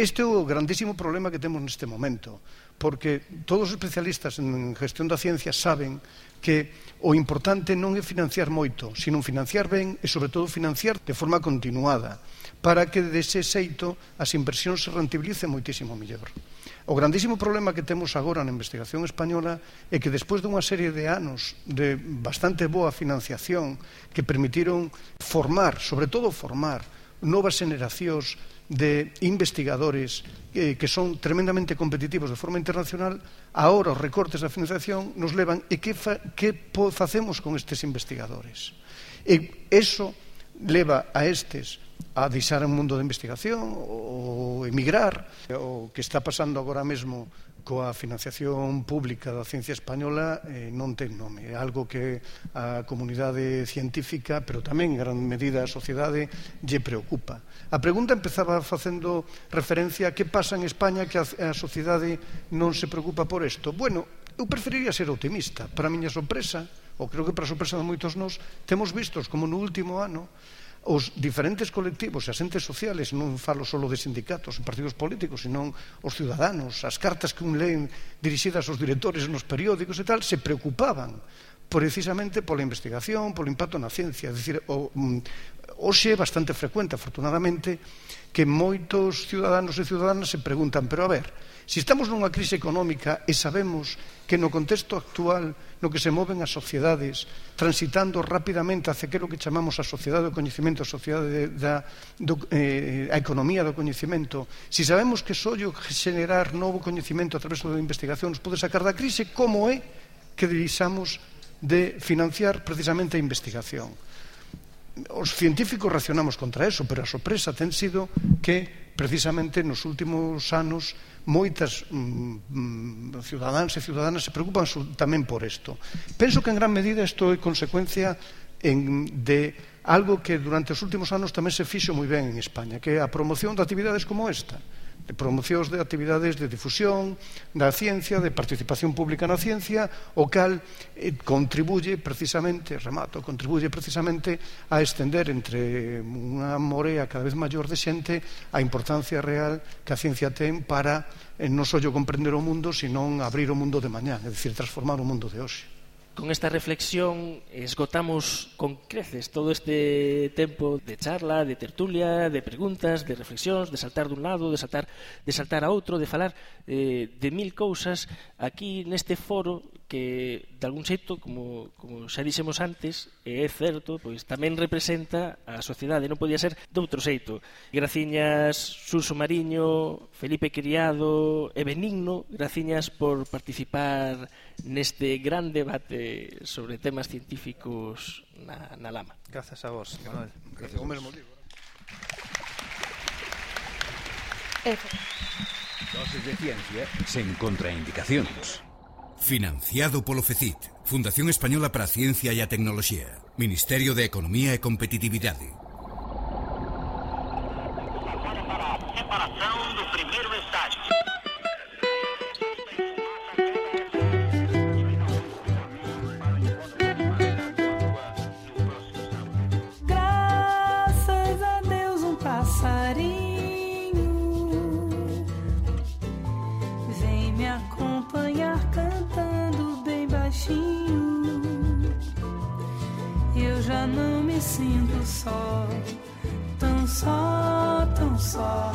Este é o grandísimo problema que temos neste momento, porque todos os especialistas en gestión da ciencia saben que o importante non é financiar moito, sino financiar ben e, sobre todo, financiar de forma continuada, para que dese xeito as inversións se rentabilicen moitísimo mellor. O grandísimo problema que temos agora na investigación española é que despois dunha serie de anos de bastante boa financiación que permitiron formar, sobre todo formar, novas generacións de investigadores eh, que son tremendamente competitivos de forma internacional, ahora os recortes da financiación nos levan e que, fa, que facemos con estes investigadores? E eso leva a estes a deixar o mundo da investigación ou emigrar. O que está pasando agora mesmo coa financiación pública da ciencia española eh, non ten nome. É algo que a comunidade científica, pero tamén en gran medida a sociedade, lle preocupa. A pregunta empezaba facendo referencia a que pasa en España que a, a sociedade non se preocupa por isto. Bueno, eu preferiría ser optimista. Para a miña sorpresa, ou creo que para sorpresa de moitos nós, temos vistos como no último ano os diferentes colectivos e asentes sociales, non falo só de sindicatos e partidos políticos, senón os ciudadanos, as cartas que un leen dirixidas aos directores nos periódicos e tal, se preocupaban precisamente pola investigación, polo impacto na ciencia. É dicir, hoxe é bastante frecuente, afortunadamente, que moitos ciudadanos e ciudadanas se preguntan, pero a ver, se estamos nunha crise económica e sabemos que no contexto actual no que se moven as sociedades transitando rapidamente hacia que é o que chamamos a sociedade do coñecemento, a sociedade da do, eh, a economía do coñecemento, se sabemos que sollo generar novo coñecemento a través da investigación nos pode sacar da crise, como é que deixamos de financiar precisamente a investigación? Os científicos reaccionamos contra eso, pero a sorpresa ten sido que precisamente nos últimos anos moitas mm, ciudadanas e ciudadanas se preocupan tamén por isto. Penso que en gran medida isto é consecuencia en, de algo que durante os últimos anos tamén se fixo moi ben en España, que é a promoción de actividades como esta, de promocións de actividades de difusión da ciencia, de participación pública na ciencia, o cal eh, contribuye precisamente, remato, contribuye precisamente a estender entre unha morea cada vez maior de xente a importancia real que a ciencia ten para eh, non só comprender o mundo, senón abrir o mundo de mañá, é dicir, transformar o mundo de hoxe. Con esta reflexión esgotamos con creces todo este tempo de charla, de tertulia, de preguntas, de reflexións, de saltar dun lado, de saltar, de saltar a outro, de falar eh, de mil cousas aquí neste foro que, de algún xeito, como, como xa dixemos antes, e é certo, pois tamén representa a sociedade, non podía ser de outro xeito. Graciñas Xurxo Mariño, Felipe Criado e Benigno, graciñas por participar neste gran debate sobre temas científicos na, na Lama. Grazas a vos, Manuel. Gracias ao mesmo libro. Doses de ciencia sen contraindicacións. Financiado polo FECIT, Fundación Española para a Ciencia e a Tecnoloxía, Ministerio de Economía e Competitividade. Separação do primeiro estágio. Graças a Deus, um passarinho vem me acompanhar cantando bem baixinho. Eu já não me sinto só, tão só, tão só.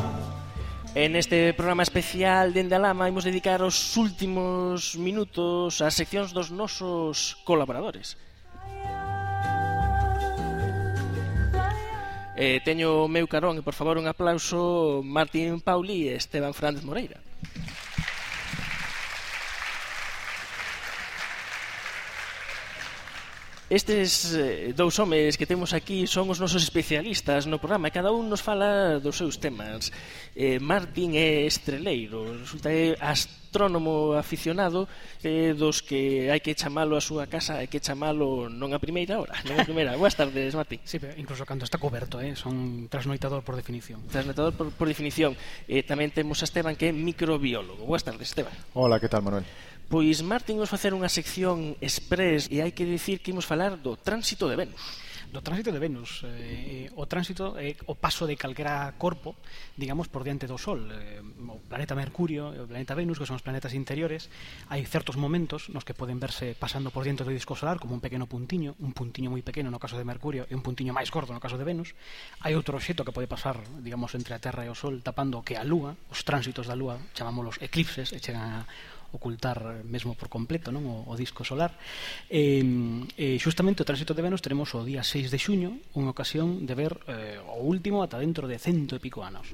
En este programa especial Dende a Lama imos dedicar os últimos minutos ás seccións dos nosos colaboradores. Eh, teño o meu carón e, por favor, un aplauso Martín Pauli e Esteban Fernández Moreira. Estes eh, dous homes que temos aquí son os nosos especialistas no programa e cada un nos fala dos seus temas. eh, Martín é estreleiro, resulta é astrónomo aficionado, eh, dos que hai que chamalo a súa casa, hai que chamalo non a primeira hora, non a primeira. Boas tardes, Martín. Sí, pero incluso cando está coberto, eh, son trasnoitador por definición. Trasnoitador por, por definición. eh, Tamén temos a Esteban, que é microbiólogo. Boas tardes, Esteban. Hola, que tal, Manuel? Pois Martín nos facer unha sección express e hai que dicir que imos falar do tránsito de Venus. Do tránsito de Venus, eh, o tránsito é o paso de calquera corpo, digamos, por diante do Sol. eh, o planeta Mercurio e o planeta Venus, que son os planetas interiores, hai certos momentos nos que poden verse pasando por diante do disco solar como un pequeno puntiño, un puntiño moi pequeno no caso de Mercurio e un puntiño máis gordo no caso de Venus. Hai outro obxecto que pode pasar, digamos, entre a Terra e o Sol tapando o que a Lúa, os tránsitos da Lúa, chamámoslos eclipses, e chegan a ocultar mesmo por completo, non, o, o disco solar. E, e xustamente o tránsito de Venus tenemos o día seis de xuño, unha ocasión de ver eh, o último ata dentro de cento e pico anos.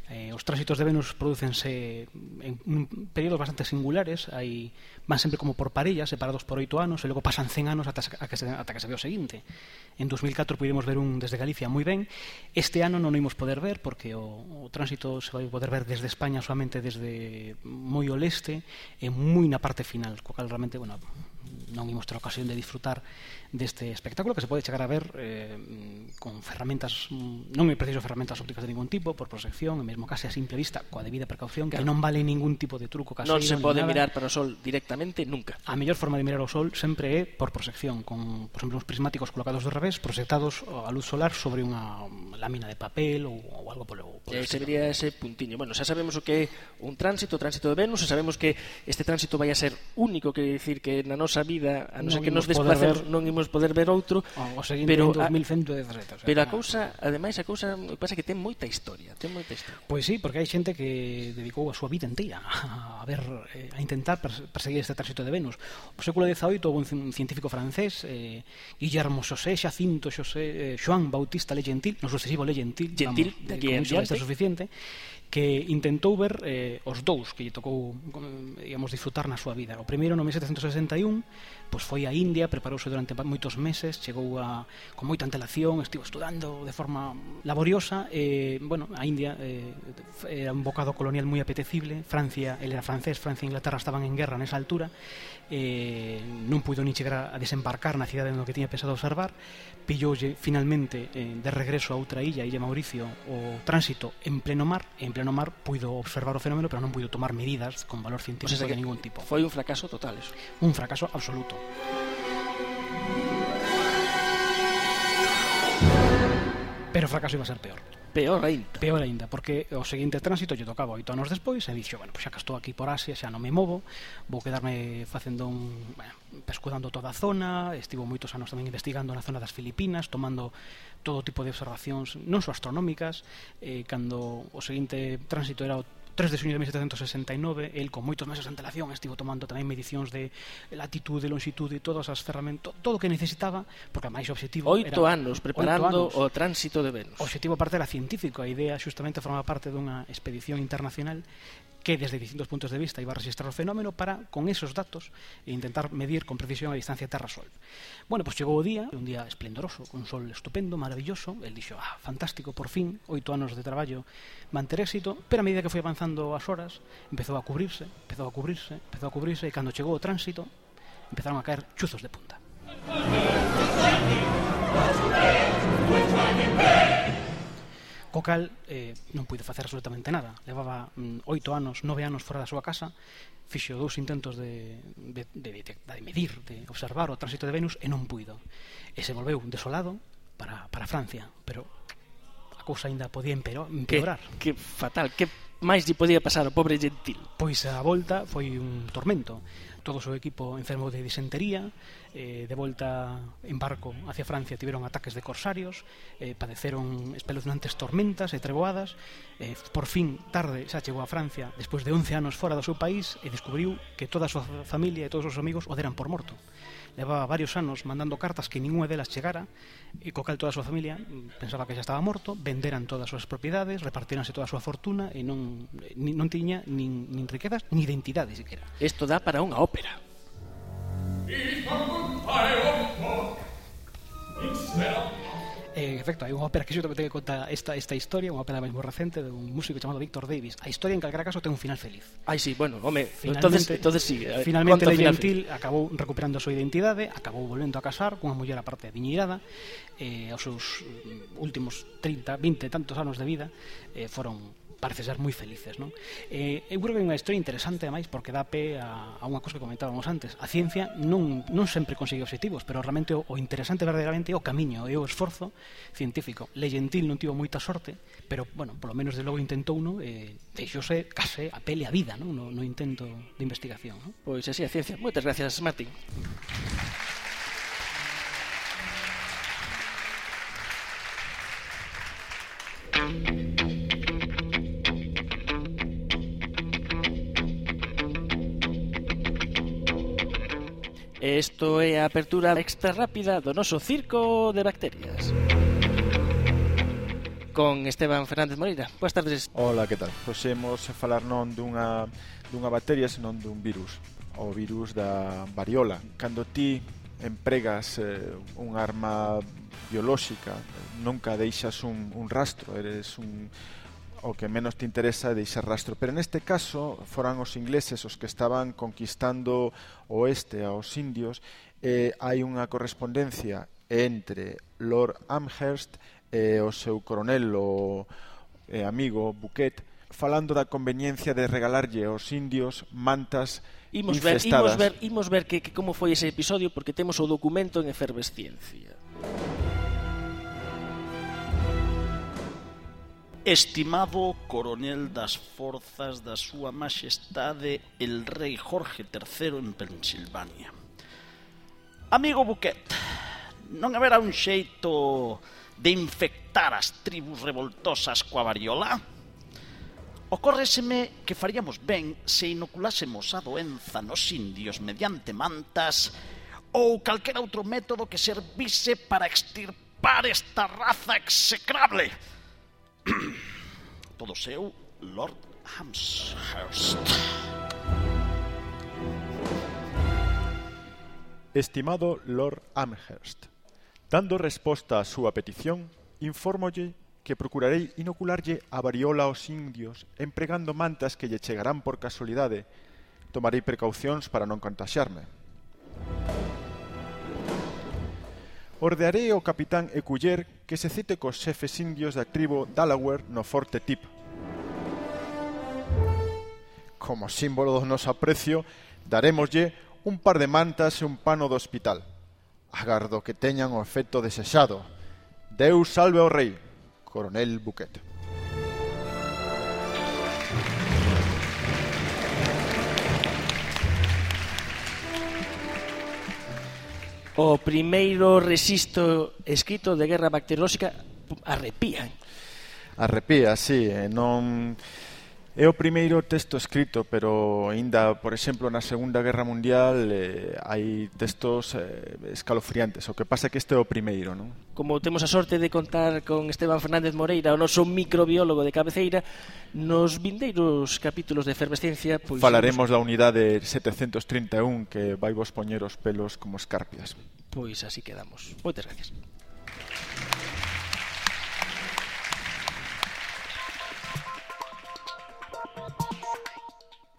Eh, os tránsitos de Venus prodúcense en períodos bastante singulares, hai, van sempre como por parellas, separados por oito anos, e logo pasan cen anos ata, ata, que, se, ata que se ve o seguinte. En dos mil catro pudimos ver un desde Galicia moi ben. Este ano non o imos poder ver porque o, o tránsito se vai poder ver desde España solamente desde moi o leste e moi na parte final, co cal realmente, bueno, non imos ter ocasión de disfrutar deste espectáculo que se pode chegar a ver eh, con ferramentas, non é preciso ferramentas ópticas de ningún tipo, por proxección, e mesmo case a simple vista, coa debida precaución, que non vale ningún tipo de truco caseiro. Non se pode mirar para o sol directamente nunca. A mellor forma de mirar o sol sempre é por proxección, con, por exemplo, uns prismáticos colocados do revés, proxectados a luz solar sobre unha lámina de papel ou, ou algo polo, polo e se vería ese puntiño. Bueno, xa sabemos o que é un tránsito, o tránsito de Venus, e sabemos que este tránsito vai a ser único, que decir que na nosa vida, a non ser que nos desplacemos, non imos poder ver outro, o seguinte en dos mil ciento dezasete. Pero a cousa, ademais, a cousa pasa que ten moita historia, ten moita historia. Pois sí, porque hai xente que dedicou a súa vida inteira a ver, a intentar perseguir este tránsito de Venus. No século dezaoito houve un científico francés, eh, Guillermo José Xacinto José eh, Joan Bautista Le Gentil, no sucesivo Le Gentil, Gentil, vamos, de aquí eh, en diante, suficiente, que intentou ver eh, os dous que lle tocou, digamos, disfrutar na súa vida. O primeiro no mil setecentos sesenta e un, pois foi a India, preparouse durante moitos meses, chegou a, con moita antelación, estivo estudando de forma laboriosa, e, bueno, a India eh, era un bocado colonial moi apetecible. Francia, ele era francés, Francia e Inglaterra estaban en guerra nesa altura, eh, non puido ni chegar a desembarcar na cidade no que tiña pensado observar, pilloulle finalmente eh, de regreso a outra illa, Illa Mauricio, o tránsito en pleno mar, e en pleno mar puido observar o fenómeno, pero non puido tomar medidas con valor científico o sea, de ningún tipo. Foi un fracaso total eso. Un fracaso absoluto. Pero o fracaso iba a ser peor. Peor ainda. Peor ainda, porque o seguinte tránsito lle tocaba oito anos despois e dixo, bueno, pois xa que estou aquí por Asia, xa non me movo, vou quedarme facendo un, bueno, pescudando toda a zona. Estivo moitos anos tamén investigando na zona das Filipinas, tomando todo tipo de observacións non só astronómicas. eh, cando o seguinte tránsito era o tres de xuño de mil setecentos sesenta e nove, el con moitos meses de antelación estivo tomando tamén medicións de latitud, de longitud e todas as ferramentas, todo o que necesitaba, porque a máis objetivo oito era anos preparando oito anos. O tránsito de Venus. O objetivo parte era científico, a idea xustamente formaba parte dunha expedición internacional que desde distintos puntos de vista iba a registrar o fenómeno para, con esos datos, intentar medir con precisión a distancia Terra-Sol. Bueno, pois chegou o día, un día esplendoroso, con un sol estupendo, maravilloso. El dixo, ah, fantástico, por fin, oito anos de traballo manter éxito, pero a medida que foi avanzando as horas, empezou a cubrirse, empezou a cubrirse, empezou a cubrirse, e cando chegou o tránsito, empezaron a caer chuzos de punta. Co cal eh, non puido facer absolutamente nada. Levaba mm, oito anos, nove anos fora da súa casa, fixo dous intentos de, de, de, de, de medir, de observar o tránsito de Venus, e non puido. E se volveu desolado para, para Francia, pero a cousa ainda podía empeorar. Que, que fatal, que máis lle podía pasar ao pobre Gentil? Pois a volta foi un tormento. Todo o seu equipo enfermou de disentería, eh, de volta en barco hacia Francia tiveron ataques de corsarios, eh, padeceron espeluznantes tormentas e treboadas. eh, por fin, tarde, xa chegou a Francia despois de once anos fora do seu país, e descubriu que toda a súa familia e todos os amigos o deran por morto. Levaba varios anos mandando cartas que ninguna delas chegara, e co cal toda a súa familia pensaba que xa estaba morto, venderan todas as súas propiedades, repartiranse toda a súa fortuna, e non, non tiña nin, nin riquezas ni identidade siquiera. Isto dá para unha ópera. En efecto, hai unha ópera que xustamente que conta esta, esta historia, unha ópera máis moi recente de un músico chamado Victor Davis. A historia en calquera caso ten un final feliz. Ai, sí, bueno, home, finalmente, entonces, entonces sí, finalmente Le Gentil acabou recuperando a súa identidade, acabou volvendo a casar cunha muller aparte adiñeirada, eh, aos seus últimos trinta, vinte e tantos anos de vida eh, foron, parece ser, moi felices, non? Eh, eu creo que é unha historia interesante, ademais, porque dá pé a, a unha cousa que comentábamos antes. A ciencia non, non sempre consigue objetivos, pero realmente o, o interesante verdadeiramente é o camiño, é o esforzo científico. Le Gentil non tivo moita sorte, pero, bueno, polo menos de logo intentou, non? Eh, deixouse case a pele a vida, non? No, no intento de investigación, non? Pois así a ciencia. Moitas gracias, Martín. Isto é a apertura extra rápida do noso circo de bacterias con Esteban Fernández Moreira. Boas tardes. Hola, que tal? Pois imos falar non dunha, dunha bacteria, senón dun virus, o virus da variola. Cando ti empregas eh, un arma biolóxica, nunca deixas un, un rastro, eres un o que menos te interesa é deixar rastro. Pero neste caso foran os ingleses os que estaban conquistando o oeste aos indios, e hai unha correspondencia entre Lord Amherst e o seu coronel o e amigo Bouquet, falando da conveniencia de regalarlle aos indios mantas imos ver, infestadas. Imos ver, imos ver que, que como foi ese episodio, porque temos o documento en efervesciencia. Estimado coronel das forzas da súa majestade el rei Jorge terceiro en Pensilvania. Amigo Bouquet, non haberá un xeito de infectar as tribus revoltosas coa variola? Ocórreseme que faríamos ben se inoculásemos a doenza nos indios mediante mantas ou calquera outro método que servise para extirpar esta raza execrable. Todo seu, Lord Amherst. Estimado Lord Amherst, dando resposta á súa petición, infórmolle que procurarei inocularlle a variola aos indios empregando mantas que lle chegarán por casualidade. Tomarei precaucións para non contaxiarme. Ordearei ao capitán Ecuyer que se cite cos xefes indios da tribo Delaware no Forte Tip. Como símbolo do noso aprecio, darémoslle un par de mantas e un pano do hospital. Agardo que teñan o efecto desexado. Deus salve ao rei, coronel Bouquet. O primeiro resisto escrito de guerra bacteriolóxica arrepía. Arrepía, sí, e non... É o primeiro texto escrito, pero aínda, por exemplo, na Segunda Guerra Mundial eh, hai textos eh, escalofriantes. O que pasa é que este é o primeiro, non? Como temos a sorte de contar con Esteban Fernández Moreira, o noso microbiólogo de cabeceira, nos vindeiros capítulos de Efervesciencia... Pois, falaremos da unidade setecentos trinta e un que vai vos poñer os pelos como escarpias. Pois así quedamos. Moitas gracias.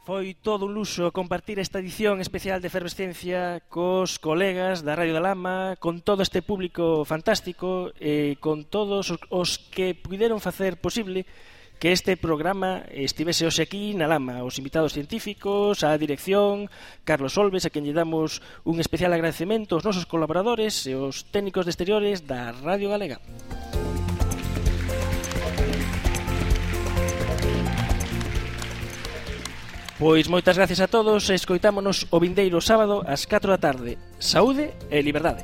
Foi todo un luxo compartir esta edición especial de Efervesciencia cos colegas da Radio da Lama, con todo este público fantástico e con todos os que puderon facer posible que este programa estivese hoxe aquí na Lama, os invitados científicos, a dirección, Carlos Olves, a quen lle damos un especial agradecemento, os nosos colaboradores e os técnicos de exteriores da Radio Galega. Pois moitas gracias a todos e escoitámonos o vindeiro sábado ás catro da tarde. Saúde e liberdade.